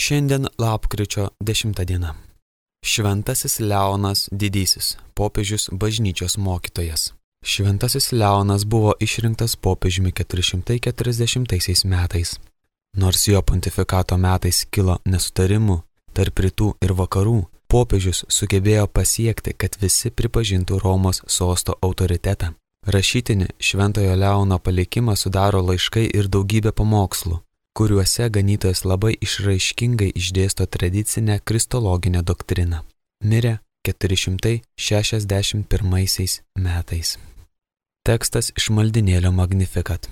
Šiandien lapkričio 10 diena. Šventasis Leonas Didysis, popiežius bažnyčios mokytojas. Šventasis Leonas buvo išrinktas popiežiumi 440 metais. Nors jo pontifikato metais kilo nesutarimų tarp rytų ir vakarų, popiežius sugebėjo pasiekti, kad visi pripažintų Romos sosto autoritetą. Rašytinį Šventojo Leono palikimą sudaro laiškai ir daugybė pamokslų, kuriuose ganytojas labai išraiškingai išdėsto tradicinę kristologinę doktriną. Mirė 461 metais. Tekstas iš maldynėlio Magnificat.